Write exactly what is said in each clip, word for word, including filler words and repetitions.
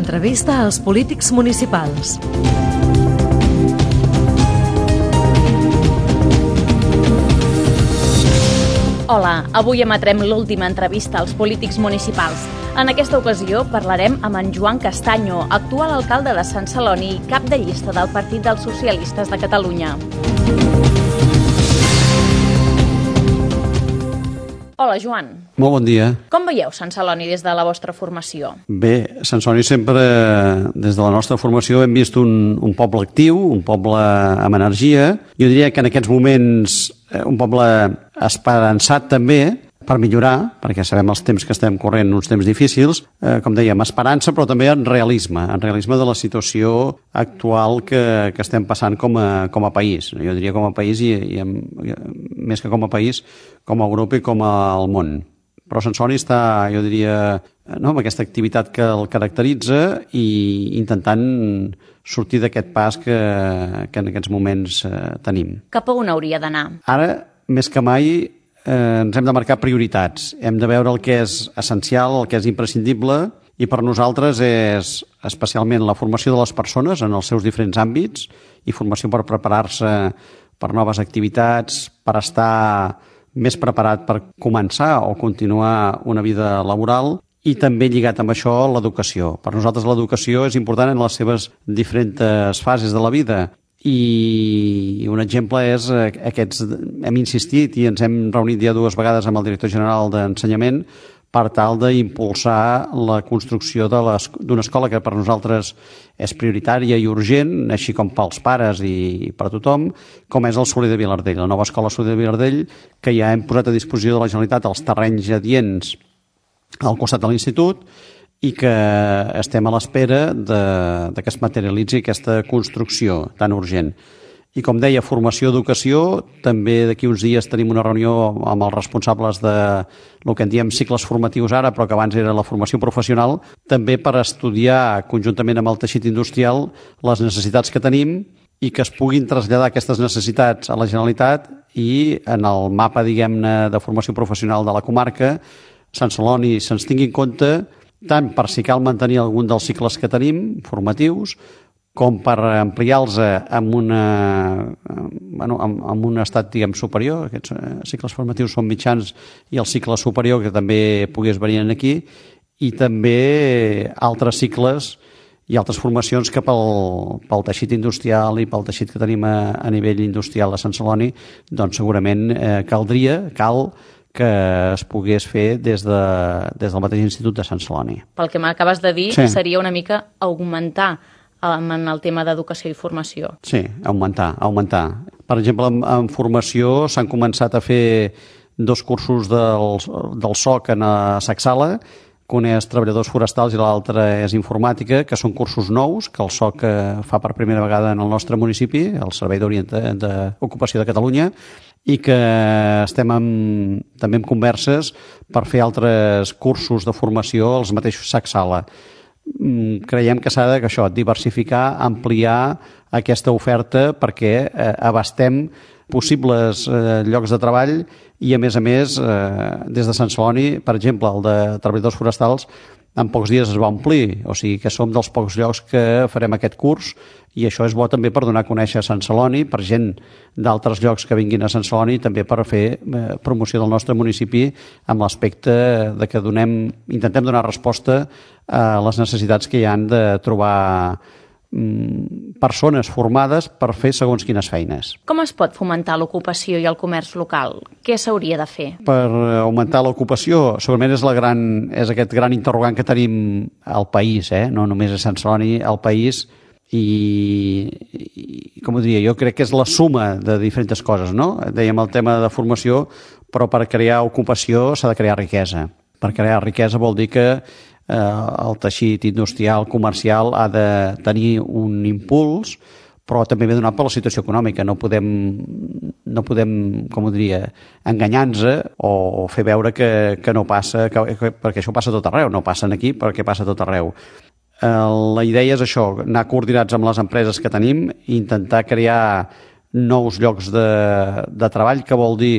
Entrevista als polítics municipals. Hola, avui emetrem l'última entrevista als polítics municipals. En aquesta ocasió parlarem amb en Joan Castaño, actual alcalde de Sant Celoni i cap de llista del Partit dels Socialistes de Catalunya. Hola, Joan. Molt bon dia. Com veieu Sant Celoni des de la vostra formació? Bé, Sant Celoni sempre, des de la nostra formació, hem vist un, un poble actiu, un poble amb energia. Jo diria que en aquests moments un poble esperançat també per millorar, perquè sabem els temps que estem corrent, uns temps difícils, eh, com dèiem, esperança, però també en realisme, en realisme de la situació actual que, que estem passant com a, com a país. Jo diria com a país i, i, en, i més que com a país, com a Europa i com al món. Però Sant Celoni està, jo diria, no, amb aquesta activitat que el caracteritza i intentant sortir d'aquest pas que, que en aquests moments eh, tenim. Cap a on hauria d'anar? Ara, més que mai, eh, ens hem de marcar prioritats. Hem de veure el que és essencial, el que és imprescindible, i per nosaltres és especialment la formació de les persones en els seus diferents àmbits i formació per preparar-se per noves activitats, per estar més preparat per començar o continuar una vida laboral, i també lligat amb això l'educació. Per nosaltres l'educació és important en les seves diferents fases de la vida. I un exemple és aquests, hem insistit i ens hem reunit ja dues vegades amb el director general d'Ensenyament per tal d'impulsar la construcció d'una escola que per nosaltres és prioritària i urgent, així com pels pares i per a tothom, com és el Soler de Vilardell, la nova escola Soler de Vilardell, que ja hem posat a disposició de la Generalitat els terrenys adients al costat de l'institut i que estem a l'espera de, de que es materialitzi aquesta construcció tan urgent. I com deia, formació, educació, també d'aquí uns dies tenim una reunió amb els responsables de el que en diem cicles formatius ara, però que abans era la formació professional, també per estudiar conjuntament amb el teixit industrial les necessitats que tenim i que es puguin traslladar aquestes necessitats a la Generalitat i en el mapa, diguem-ne, de formació professional de la comarca, Sant Celoni se'ns tingui en compte tant per si cal mantenir algun dels cicles que tenim, formatius, com per ampliar-los amb, una, bueno, amb, amb un estat, diguem, superior. Aquests cicles formatius són mitjans i el cicle superior que també pogués venir aquí, i també altres cicles i altres formacions que pel, pel teixit industrial i pel teixit que tenim a, a nivell industrial a Sant Celoni, doncs segurament eh, caldria, cal que es pogués fer des, de, des del mateix Institut de Sant Celoni. Pel que m'acabes de dir, sí. Seria una mica augmentar en el tema d'educació i formació. Sí, augmentar, augmentar. Per exemple, en, en formació s'han començat a fer dos cursos del, del S O C en a Sacsala, que un és treballadors forestals i l'altre és informàtica, que són cursos nous que el S O C fa per primera vegada en el nostre municipi, el Servei d'Ocupació de Catalunya, i que estem en, també en converses per fer altres cursos de formació als mateixos Sacsala. Creiem que s'ha de que això, diversificar, ampliar aquesta oferta perquè eh, abastem possibles eh, llocs de treball i, a més a més, eh, des de Sant Celoni, per exemple, el de treballadors forestals, en pocs dies es va omplir, o sigui que som dels pocs llocs que farem aquest curs, i això és bo també per donar a conèixer Sant Celoni, per gent d'altres llocs que vinguin a Sant Celoni, també per fer eh, promoció del nostre municipi amb l'aspecte de que donem, intentem donar resposta a les necessitats que hi han de trobar mm, persones formades per fer segons quines feines. Com es pot fomentar l'ocupació i el comerç local? Què s'hauria de fer? Per augmentar l'ocupació, segurament és, la gran, és aquest gran interrogant que tenim al país, eh? No només a Sant Celoni, al país, i, i com ho diria, jo crec que és la suma de diferents coses, no? Dèiem el tema de formació, però per crear ocupació s'ha de crear riquesa. Per crear riquesa vol dir que eh, el teixit industrial, comercial, ha de tenir un impuls, però també ve donat per la situació econòmica. No podem, no podem com ho diria, enganyar-nos o fer veure que, que no passa, que, que, perquè això passa a tot arreu, no passa aquí perquè passa a tot arreu. La idea és això, anar coordinats amb les empreses que tenim i intentar crear nous llocs de, de treball, que vol dir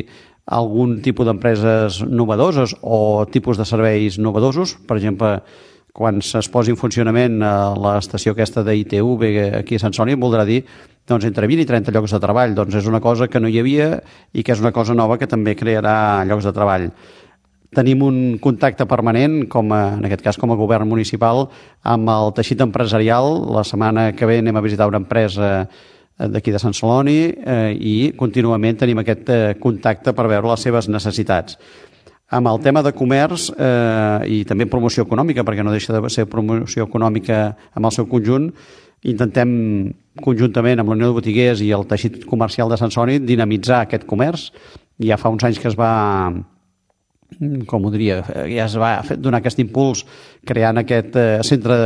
algun tipus d'empreses novedoses o tipus de serveis novedosos. Per exemple, quan es posi en funcionament l'estació aquesta d'I T V aquí a Sant Celoni, voldrà dir doncs, entre vint i trenta llocs de treball. Doncs és una cosa que no hi havia i que és una cosa nova que també crearà llocs de treball. Tenim un contacte permanent, com a, en aquest cas com a govern municipal, amb el teixit empresarial. La setmana que ve anem a visitar una empresa d'aquí de Sant Celoni eh, i contínuament tenim aquest eh, contacte per veure les seves necessitats. Amb el tema de comerç eh, i també promoció econòmica, perquè no deixa de ser promoció econòmica amb el seu conjunt, intentem conjuntament amb la Unió de Botiguers i el teixit comercial de Sant Celoni dinamitzar aquest comerç. Ja fa uns anys que es va, com ho diria, ja es va donar aquest impuls creant aquest eh, centre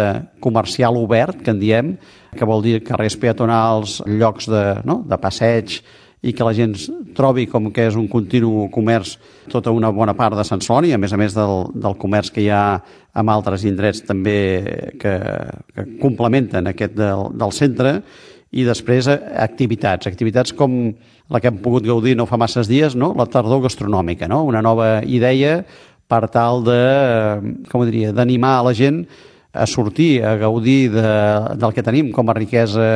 comercial obert, que en diem, que vol dir carrers peatonals, llocs de, no? de passeig, i que la gent trobi com que és un continu comerç tota una bona part de Sant Celoni, a més a més del, del comerç que hi ha amb altres indrets també que, que complementen aquest del, del centre, i després activitats, activitats com la que hem pogut gaudir no fa masses dies, no? La tardor gastronòmica, no? Una nova idea per tal de, com ho diria, d'animar a la gent a sortir, a gaudir de, del que tenim com a riquesa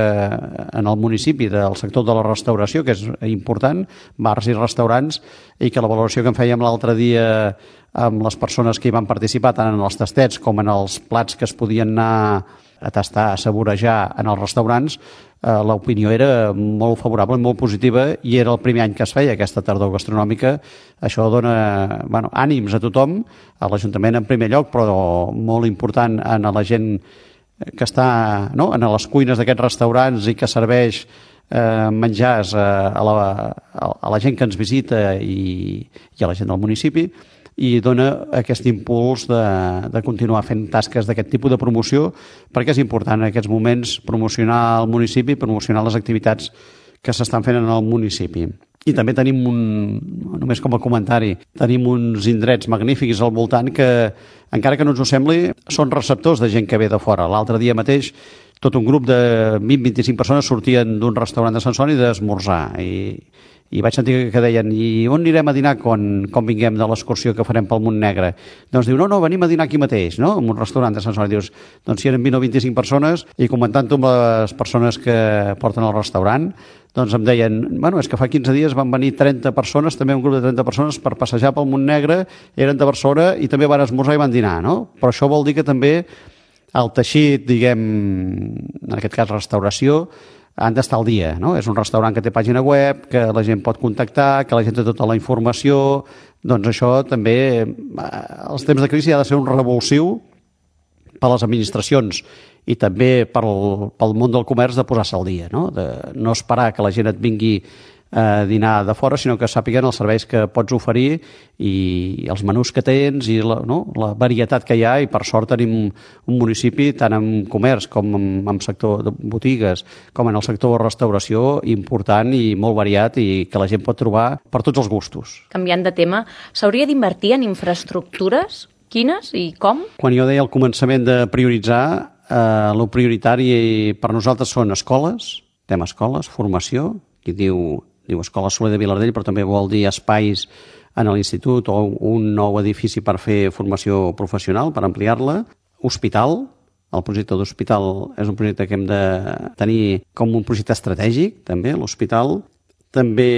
en el municipi, del sector de la restauració, que és important, bars i restaurants, i que la valoració que en fèiem l'altre dia amb les persones que hi van participar, tant en els tastets com en els plats que es podien anar a tastar, a saborejar en els restaurants, eh, l'opinió era molt favorable, molt positiva, i era el primer any que es feia aquesta tardor gastronòmica. Això dona bueno, ànims a tothom, a l'Ajuntament en primer lloc, però molt important a la gent que està no? en les cuines d'aquests restaurants i que serveix eh, menjars a, a, la, a la gent que ens visita i, i a la gent del municipi, i dona aquest impuls de, de continuar fent tasques d'aquest tipus de promoció, perquè és important en aquests moments promocionar el municipi, promocionar les activitats que s'estan fent en el municipi. I també tenim un, només com a comentari, tenim uns indrets magnífics al voltant que, encara que no ens ho sembli, són receptors de gent que ve de fora. L'altre dia mateix tot un grup de vint a vint-i-cinc persones sortien d'un restaurant de Sant Celoni d'esmorzar, i i vaig sentir que deien, i on anirem a dinar quan, quan vinguem de l'excursió que farem pel Montnegre? Doncs diu, no, no, venim a dinar aquí mateix, no? En un restaurant de Sant Celoni. Dius, doncs si eren vint o vint-i-cinc persones, i comentant-ho amb les persones que porten al restaurant, doncs em deien, bueno, és que fa quinze dies van venir trenta persones, també un grup de trenta persones, per passejar pel Montnegre, eren de Barcelona i també van esmorzar i van dinar, no? Però això vol dir que també el teixit, diguem, en aquest cas restauració, han d'estar al dia, no? És un restaurant que té pàgina web, que la gent pot contactar, que la gent té tota la informació, doncs això també, els temps de crisi ha de ser un revulsiu per les administracions i també pel, pel món del comerç de posar-se al dia, no? De no esperar que la gent et vingui a dinar de fora, sinó que sàpiguen els serveis que pots oferir i els menús que tens i la, no? la varietat que hi ha, i per sort tenim un municipi tant en comerç com en, en sector de botigues com en el sector de restauració important i molt variat, i que la gent pot trobar per tots els gustos. Canviant de tema, s'hauria d'invertir en infraestructures? Quines i com? Quan jo deia al començament de prioritzar, eh, el prioritari per nosaltres són escoles, tema escoles, formació, qui diu diu Escola Soler de Vilardell, però també vol dir espais en l'institut o un nou edifici per fer formació professional, per ampliar-la. Hospital, el projecte d'hospital és un projecte que hem de tenir com un projecte estratègic, també, l'hospital. També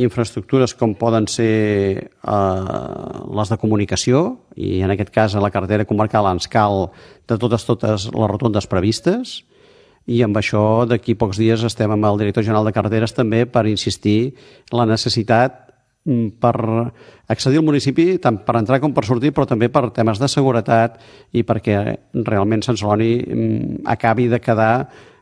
infraestructures com poden ser eh, les de comunicació, i en aquest cas a la carretera comarcal ens cal de totes totes les rotondes previstes, i amb això d'aquí pocs dies estem amb el director general de carreteres també per insistir en la necessitat per accedir al municipi, tant per entrar com per sortir, però també per temes de seguretat i perquè realment Sant Celoni acabi de quedar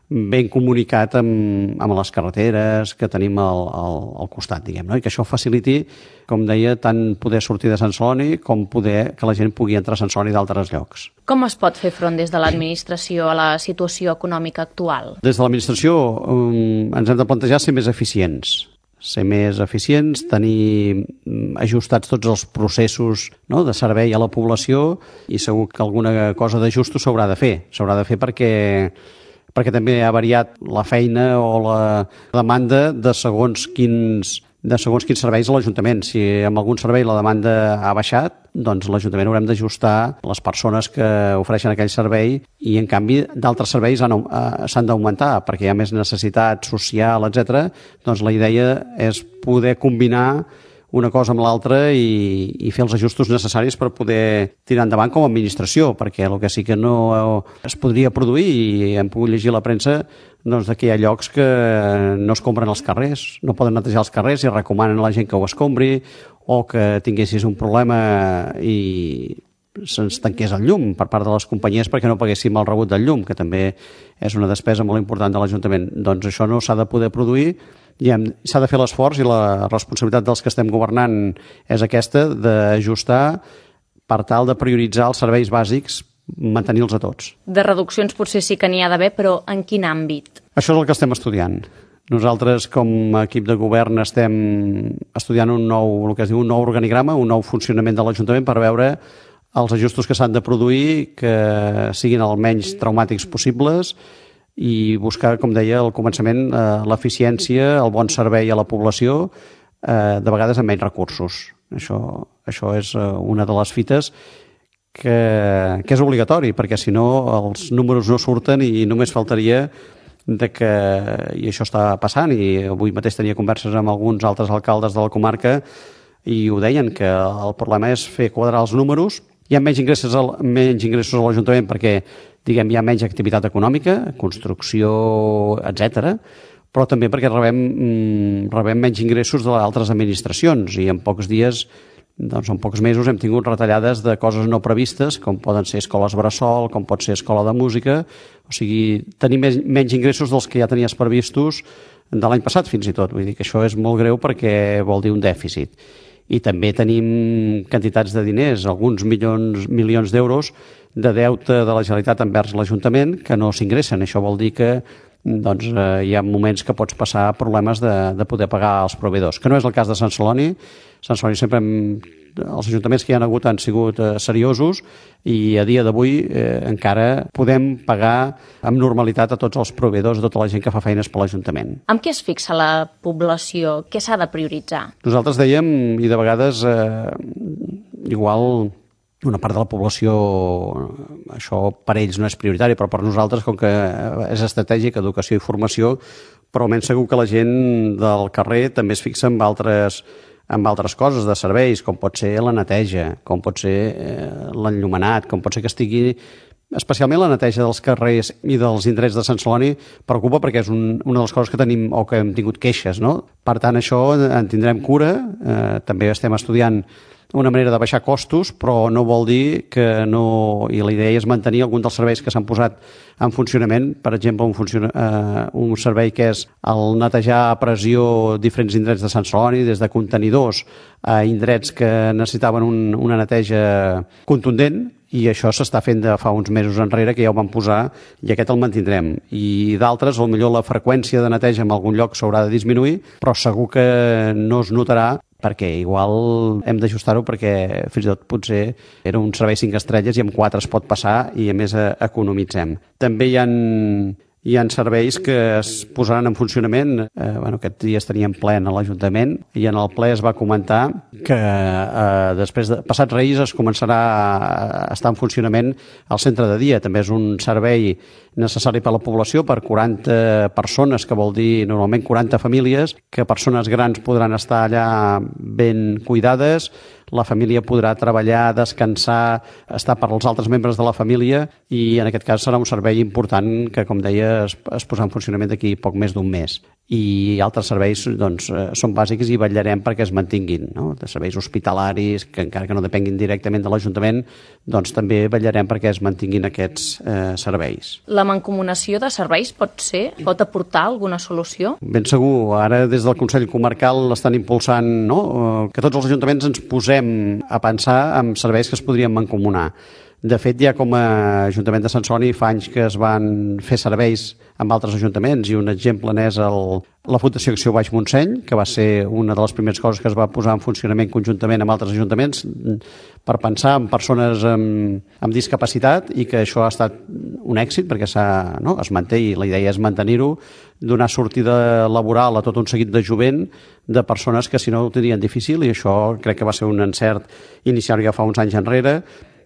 ben comunicat amb, amb les carreteres que tenim al, al, al costat, diguem, no? I que això faciliti, com deia, tant poder sortir de Sant Celoni com poder que la gent pugui entrar a Sant Celoni d'altres llocs. Com es pot fer front des de l'administració a la situació econòmica actual? Des de l'administració um, ens hem de plantejar ser més eficients, ser més eficients, tenir ajustats tots els processos, no?, de servei a la població, i segur que alguna cosa d'ajustos s'haurà de fer. S'haurà de fer perquè perquè també ha variat la feina o la demanda de segons quins, de segons quins serveis a l'Ajuntament. Si amb algun servei la demanda ha baixat, doncs l'Ajuntament haurem d'ajustar les persones que ofereixen aquell servei i, en canvi, d'altres serveis han, uh, s'han d'augmentar perquè hi ha més necessitat social, etcètera. Doncs la idea és poder combinar una cosa amb l'altra i, i fer els ajustos necessaris per poder tirar endavant com a administració, perquè el que sí que no es podria produir, i hem pogut llegir a la premsa, doncs que hi ha llocs que no es compren els carrers, no poden netejar els carrers i recomanen a la gent que ho escombri, o que tinguessis un problema i se'ns tanqués el llum per part de les companyies perquè no paguéssim el rebut del llum, que també és una despesa molt important de l'Ajuntament. Doncs això no s'ha de poder produir i hem, s'ha de fer l'esforç, i la responsabilitat dels que estem governant és aquesta, d'ajustar per tal de prioritzar els serveis bàsics, mantenir-los a tots. De reduccions potser sí que n'hi ha d'haver, però en quin àmbit? Això és el que estem estudiant. Nosaltres, com a equip de govern, estem estudiant un nou, el que es diu, un nou organigrama, un nou funcionament de l'Ajuntament per veure els ajustos que s'han de produir, que siguin el menys traumàtics possibles, i buscar, com deia al començament, eh, l'eficiència, el bon servei a la població, eh, de vegades amb menys recursos. Això, això és eh, una de les fites que, que és obligatori, perquè si no els números no surten i només faltaria de que, i això està passant, i avui mateix tenia converses amb alguns altres alcaldes de la comarca i ho deien, que el problema és fer quadrar els números. Hi ha menys ingressos, al, menys ingressos a l'Ajuntament perquè, diguem, hi ha menys activitat econòmica, construcció, etcètera, però també perquè rebem, rebem menys ingressos d'altres administracions, i en pocs dies, doncs en pocs mesos hem tingut retallades de coses no previstes, com poden ser escoles bressol, com pot ser escola de música, o sigui, tenir més, menys ingressos dels que ja tenies previstos de l'any passat fins i tot. Vull dir que això és molt greu perquè vol dir un dèficit. I també tenim quantitats de diners, alguns milions, milions d'euros de deute de la Generalitat envers l'Ajuntament que no s'ingressen. Això vol dir que doncs, eh, hi ha moments que pots passar problemes de, de poder pagar els proveïdors, que no és el cas de Sant Celoni. Sant Celoni sempre hem, els ajuntaments que hi ha hagut han sigut eh, seriosos, i a dia d'avui eh, encara podem pagar amb normalitat a tots els proveïdors, a tota la gent que fa feines per l'Ajuntament. Amb què es fixa la població? Què s'ha de prioritzar? Nosaltres dèiem, i de vegades eh, igual una part de la població, això per ells no és prioritari, però per nosaltres, com que és estratègic, educació i formació, però almenys segur que la gent del carrer també es fixa en altres, en altres coses de serveis, com pot ser la neteja, com pot ser eh, l'enllumenat, com pot ser que estigui... Especialment la neteja dels carrers i dels indrets de Sant Celoni preocupa perquè és un, una de les coses que tenim o que hem tingut queixes, no? Per tant, això en tindrem cura. Eh, també estem estudiant una manera de baixar costos, però no vol dir que no... I la idea és mantenir algun dels serveis que s'han posat en funcionament. Per exemple, un, funciona, eh, un servei que és el netejar a pressió diferents indrets de Sant Celoni, des de contenidors a indrets que necessitaven un, una neteja contundent, i això s'està fent de fa uns mesos enrere, que ja ho vam posar, i aquest el mantindrem. I d'altres, potser la freqüència de neteja en algun lloc s'haurà de disminuir, però segur que no es notarà, perquè igual hem d'ajustar-ho, perquè fins i tot potser era un servei cinc estrelles i amb quatre es pot passar i a més economitzem. També hi ha, hi ha serveis que es posaran en funcionament. Eh, bueno, aquest dia estaríem ple a l'Ajuntament i en el ple es va comentar que eh, després de passats Reis es començarà a estar en funcionament el centre de dia. També és un servei necessari per a la població, per quaranta persones, que vol dir normalment quaranta famílies, que persones grans podran estar allà ben cuidades, la família podrà treballar, descansar, estar per als altres membres de la família, i en aquest cas serà un servei important que, com deia, es, es posarà en funcionament d'aquí poc més d'un mes. I altres serveis doncs, són bàsics i vetllarem perquè es mantinguin, no? De serveis hospitalaris, que encara que no depenguin directament de l'Ajuntament, doncs també vetllarem perquè es mantinguin aquests eh, serveis. La mancomunació de serveis pot ser, pot aportar alguna solució? Ben segur. Ara des del Consell Comarcal l'estan impulsant, no? Que tots els ajuntaments ens posem a pensar en serveis que es podrien mancomunar. De fet, ja com a Ajuntament de Sant Celoni fa anys que es van fer serveis amb altres ajuntaments i un exemple n'és el, la Fundació Acció Baix Montseny, que va ser una de les primeres coses que es va posar en funcionament conjuntament amb altres ajuntaments per pensar en persones amb, amb discapacitat, i que això ha estat un èxit perquè s'ha, no, es manté, i la idea és mantenir-ho, donar sortida laboral a tot un seguit de jovent de persones que si no ho tindrien difícil, i això crec que va ser un encert inicial ja fa uns anys enrere.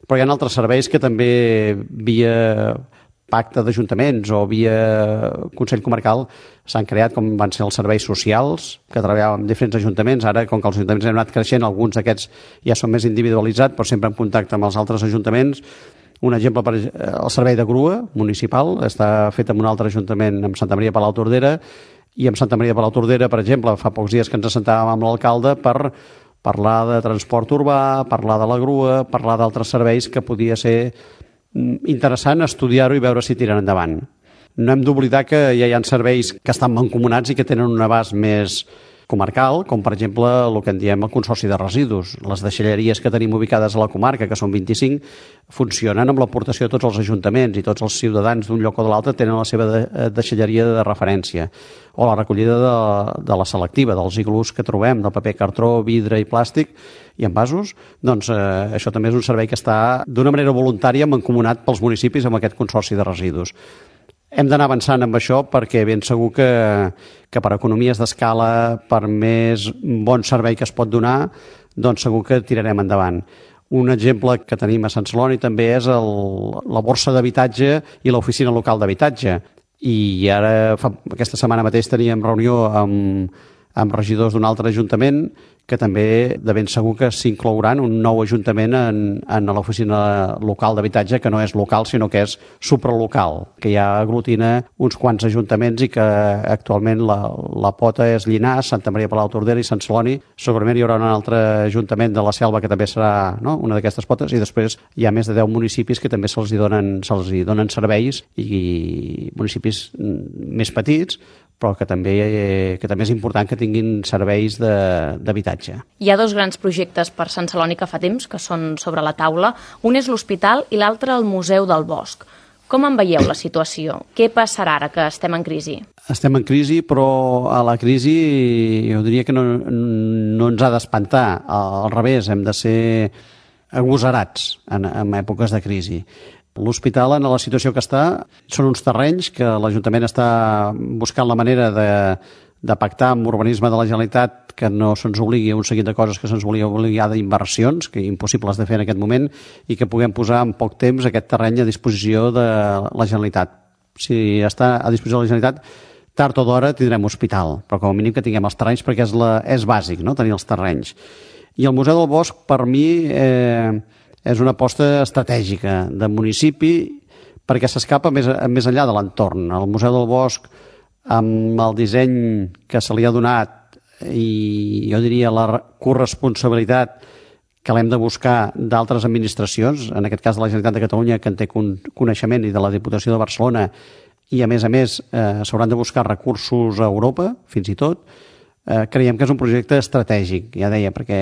Però hi ha altres serveis que també via pacte d'ajuntaments o via Consell Comarcal s'han creat, com van ser els serveis socials, que treballaven amb diferents ajuntaments. Ara, com que els ajuntaments han anat creixent, alguns d'aquests ja són més individualitzats, però sempre en contacte amb els altres ajuntaments. Un exemple, per el servei de grua municipal, està fet amb un altre ajuntament, amb Santa Maria de Palautordera, i amb Santa Maria de Palautordera, per exemple, fa pocs dies que ens assentàvem amb l'alcalde per parlar de transport urbà, parlar de la grua, parlar d'altres serveis que podia ser interessant estudiar-ho i veure si tiren endavant. No hem d'oblidar que ja hi ha serveis que estan mancomunats i que tenen un abast més comarcal, com per exemple el que en diem el Consorci de Residus. Les deixalleries que tenim ubicades a la comarca, que són vint-i-cinc, funcionen amb l'aportació de tots els ajuntaments, i tots els ciutadans d'un lloc o de l'altre tenen la seva deixalleria de referència. O la recollida de, de la selectiva, dels iglús que trobem, del paper cartró, vidre i plàstic i envasos. Doncs eh, això també és un servei que està d'una manera voluntària mancomunat pels municipis amb aquest Consorci de Residus. Hem d'anar avançant amb això perquè ben segur que, que per economies d'escala, per més bon servei que es pot donar, doncs segur que tirarem endavant. Un exemple que tenim a Sant Celoni també és el, la borsa d'habitatge i l'oficina local d'habitatge. I ara, fa, aquesta setmana mateix teníem reunió amb, amb regidors d'un altre ajuntament que també de ben segur que s'inclouran un nou ajuntament en, en l'oficina local d'habitatge, que no és local sinó que és supralocal, que ja aglutina uns quants ajuntaments i que actualment la, la pota és Llinars, Santa Maria de Palautordera i Sant Celoni. Segurament hi haurà un altre ajuntament de la Selva que també serà, no?, una d'aquestes potes, i després hi ha més de deu municipis que també se'ls hi donen, se'ls hi donen serveis, i municipis més petits, però que també, que també és important que tinguin serveis d'habitatge. Hi ha dos grans projectes per Sant Celoni que fa temps, que són sobre la taula. Un és l'hospital i l'altre el Museu del Bosc. Com en veieu la situació? Què passarà ara que estem en crisi? Estem en crisi, però a la crisi jo diria que no, no ens ha d'espantar. Al revés, hem de ser agosarats en, en èpoques de crisi. L'hospital, en la situació que està, són uns terrenys que l'Ajuntament està buscant la manera de, de pactar amb l'urbanisme de la Generalitat, que no se'ns obligui a un seguit de coses que se'ns volia obligar d'inversions, que impossibles de fer en aquest moment, i que puguem posar en poc temps aquest terreny a disposició de la Generalitat. Si està a disposició de la Generalitat, tard o d'hora tindrem hospital, però com a mínim que tinguem els terrenys, perquè és, la, és bàsic, no?, tenir els terrenys. I el Museu del Bosc, per mi, eh, és una aposta estratègica de municipi perquè s'escapa més, més enllà de l'entorn. El Museu del Bosc, amb el disseny que se li ha donat i jo diria la corresponsabilitat que l'hem de buscar d'altres administracions, en aquest cas de la Generalitat de Catalunya, que en té coneixement, i de la Diputació de Barcelona, i a més a més eh, s'hauran de buscar recursos a Europa, fins i tot. Eh, creiem que és un projecte estratègic, ja deia, perquè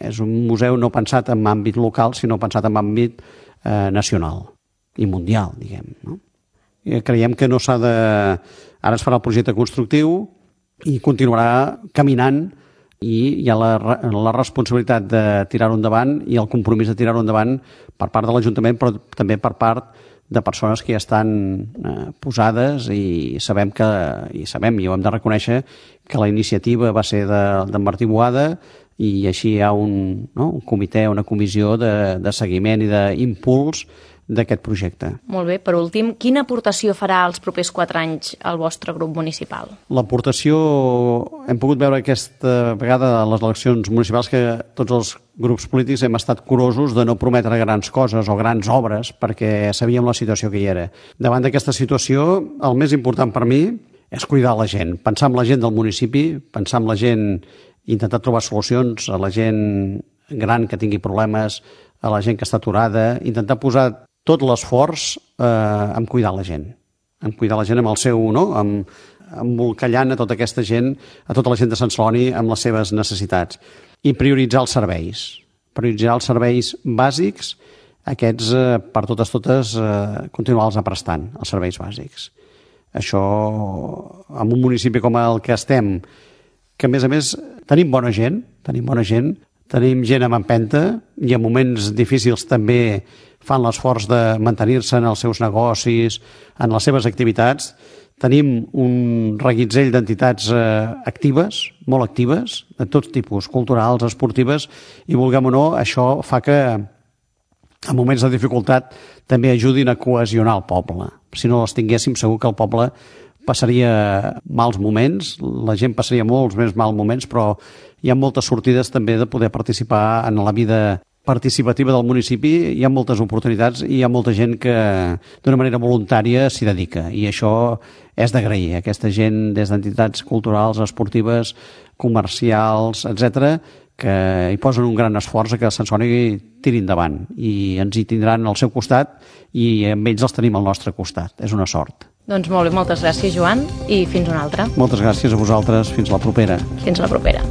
és un museu no pensat en àmbit local, sinó pensat en àmbit eh, nacional i mundial, diguem, no? I creiem que no s'ha de... Ara es farà el projecte constructiu i continuarà caminant, i hi ha la, la responsabilitat de tirar-ho endavant i el compromís de tirar-ho endavant per part de l'Ajuntament, però també per part de persones que ja estan eh, posades, i sabem que, i sabem, i ho hem de reconèixer, que la iniciativa va ser de, de Martí Boada, i així hi ha un, no, un comitè, una comissió de, de seguiment i d'impuls d'aquest projecte. Molt bé, per últim, quina aportació farà els propers quatre anys al vostre grup municipal? L'aportació, hem pogut veure aquesta vegada a les eleccions municipals que tots els grups polítics hem estat curosos de no prometre grans coses o grans obres perquè sabíem la situació que hi era. Davant d'aquesta situació, el més important per mi és cuidar la gent, pensar en la gent del municipi, pensar en la gent, intentar trobar solucions a la gent gran que tingui problemes, a la gent que està aturada, intentar posar tot l'esforç eh, en cuidar la gent, en cuidar la gent amb el seu, no?, amb, embolcallant a tota aquesta gent, a tota la gent de Sant Celoni amb les seves necessitats. I prioritzar els serveis, prioritzar els serveis bàsics, aquests, eh, per totes totes, eh, continuar-los prestant, els serveis bàsics. Això, en un municipi com el que estem, que a més a més tenim bona gent, tenim bona gent, tenim gent amb empenta i en moments difícils també fan l'esforç de mantenir-se en els seus negocis, en les seves activitats. Tenim un reguitzell d'entitats eh, actives, molt actives, de tots tipus, culturals, esportives, i vulguem o no, això fa que en moments de dificultat també ajudin a cohesionar el poble. Si no les tinguéssim, segur que el poble passaria mals moments, la gent passaria molts més mals moments, però hi ha moltes sortides també de poder participar en la vida participativa del municipi, hi ha moltes oportunitats i hi ha molta gent que d'una manera voluntària s'hi dedica, i això és d'agrair. Aquesta gent des d'entitats culturals, esportives, comercials, etcètera, que hi posen un gran esforç a que Sant Celoni tiri endavant, i ens hi tindran al seu costat i amb ells els tenim al nostre costat. És una sort. Doncs molt bé, moltes gràcies, Joan, i fins una altra. Moltes gràcies a vosaltres. Fins la propera. Fins la propera.